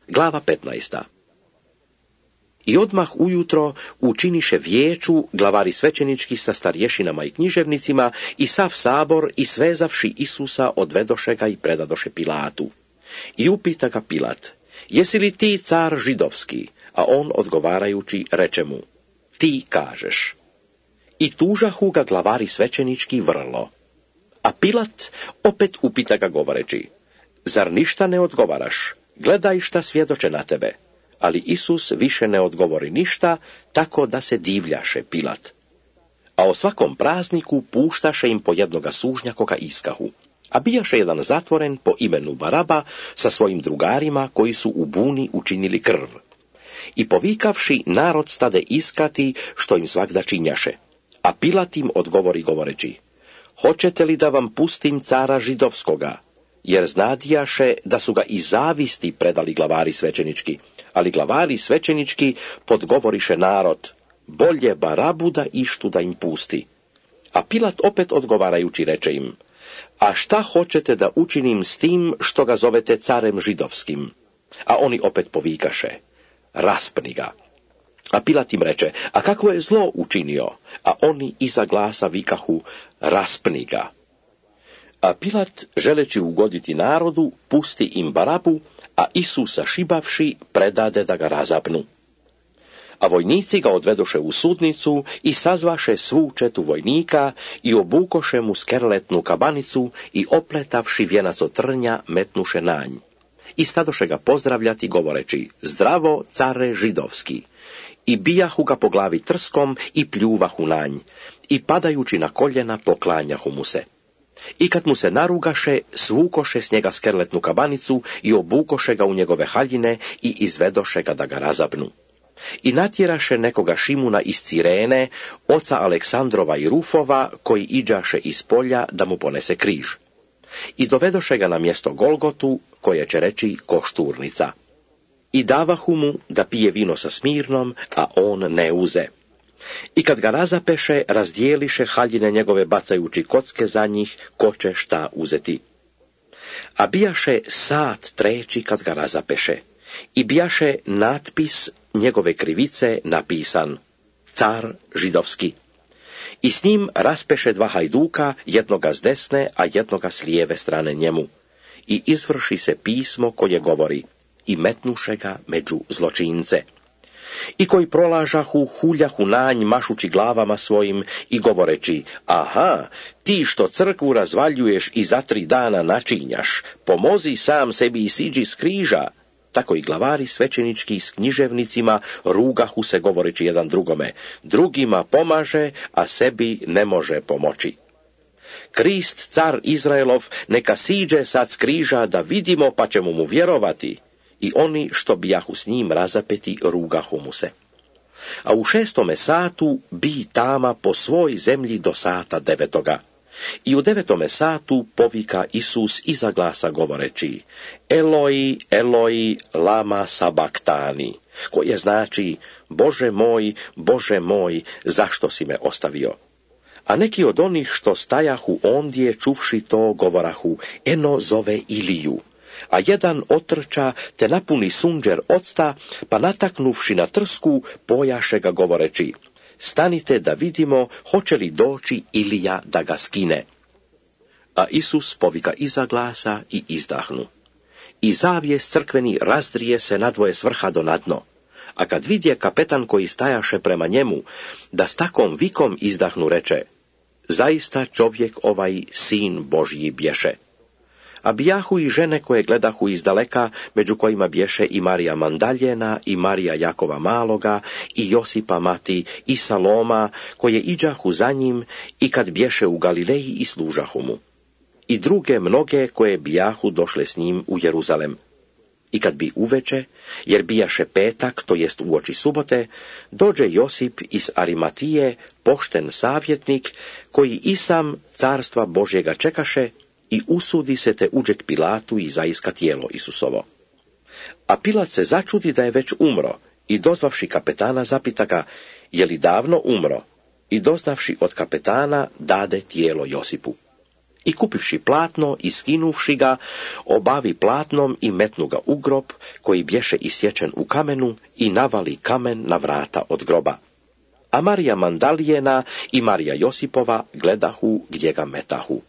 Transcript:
Glava 15. I odmah ujutro učiniše vijeću glavari svećenički sa starješinama i književnicima i sav sabor i svezavši Isusa odvedoše ga i predadoše Pilatu. I upita ga Pilat, jesi li ti car židovski? A on odgovarajući reče mu, ti kažeš. I tužahu ga glavari svećenički vrlo. A Pilat opet upita ga govoreći, zar ništa ne odgovaraš? Gledaj šta svjedoče na tebe. Ali Isus više ne odgovori ništa, tako da se divljaše Pilat. A o svakom prazniku puštaše im po jednoga sužnja koga iskahu. A bijaše jedan zatvoren po imenu Baraba sa svojim drugarima koji su u buni učinili krv. I povikavši narod stade iskati što im svagda činjaše. A Pilat im odgovori govoreći, hoćete li da vam pustim cara židovskoga? Jer znadijaše da su ga iz zavisti predali glavari svećenički. Ali glavari svećenički podgovoriše narod, bolje Barabu da ištu da im pusti. A Pilat opet odgovarajući reče im, a šta hoćete da učinim s tim što ga zovete carem židovskim? A oni opet povikaše, raspni ga. A Pilat im reče, a kako je zlo učinio? A oni iza glasa vikahu, raspni ga. A Pilat, želeći ugoditi narodu, pusti im Barabu, a Isusa šibavši predade da ga razapnu. A vojnici ga odvedoše u sudnicu i sazvaše svu četu vojnika i obukoše mu skerletnu kabanicu i opletavši vijenac od trnja metnuše na nj. I stadoše ga pozdravljati govoreći, zdravo care židovski. I bijahu ga po glavi trskom i pljuvahu na nj. I padajući na koljena poklanjahu mu se. I kad mu se narugaše, svukoše s njega skerletnu kabanicu i obukoše ga u njegove haljine i izvedoše ga da ga razapnu. I natjeraše nekoga Šimuna iz Cirene, oca Aleksandrova i Rufova, koji iđaše iz polja da mu ponese križ. I dovedoše ga na mjesto Golgotu, koje će reći Košturnica. I davahu mu da pije vino sa smirnom, a on ne uze. I kad ga razapeše, razdijeliše haljine njegove bacajući kocke za njih, ko će šta uzeti. A bijaše sat treći kad ga razapeše. I bijaše natpis njegove krivice napisan, car židovski. I s njim raspeše dva hajduka, jednoga s desne, a jednoga s lijeve strane njemu. I izvrši se pismo koje govori, i metnuše ga među zločince. I koji prolažahu, huljahu na nj, mašući glavama svojim i govoreći, aha, ti što crkvu razvaljuješ i za 3 dana načinjaš, pomozi sam sebi i siđi s križa. Tako i glavari svećenički s književnicima rugahu se govoreći jedan drugome, drugima pomaže, a sebi ne može pomoći. Krist, car Izraelov, neka siđe sad s križa da vidimo pa ćemo mu vjerovati. I oni što bijahu s njim razapeti rugahu mu se. A u 6. satu bi tama po svoj zemlji do sata 9. I u 9. satu povika Isus iza glasa govoreći, Eloi, Eloi, lama sabaktani, koje znači, Bože moj, zašto si me ostavio? A neki od onih što stajahu ondje čuvši to govorahu, eno zove Iliju. A jedan otrča te napuni sunđer octa, pa nataknuvši na trsku, pojaše ga govoreći, stanite da vidimo hoće li doći Ilija da ga skine. A Isus povika iza glasa i izdahnu. I zavjes crkveni razdrije se nadvoje s vrha do nadno. A kad vidje kapetan koji stajaše prema njemu, da s takom vikom izdahnu reče, zaista čovjek ovaj sin Božji bješe. A bijahu i žene koje gledahu izdaleka, među kojima bješe i Marija Mandaljena, i Marija Jakova Maloga, i Josipa mati, i Saloma, koje iđahu za njim, i kad bješe u Galileji i služahu mu. I druge mnoge koje bijahu došle s njim u Jeruzalem. I kad bi uveče, jer bijaše petak, to jest uoči subote, dođe Josip iz Arimatije, pošten savjetnik, koji i sam carstva Božjega čekaše, i usudi se te uđe k Pilatu i zaiska tijelo Isusovo. A Pilat se začudi da je već umro, i dozvavši kapetana zapita ga, je li davno umro? I doznavši od kapetana dade tijelo Josipu. I kupivši platno i skinuvši ga, obavi platnom i metnu ga u grob, koji bješe isječen u kamenu, i navali kamen na vrata od groba. A Marija Mandalijena i Marija Josipova gledahu gdje ga metahu.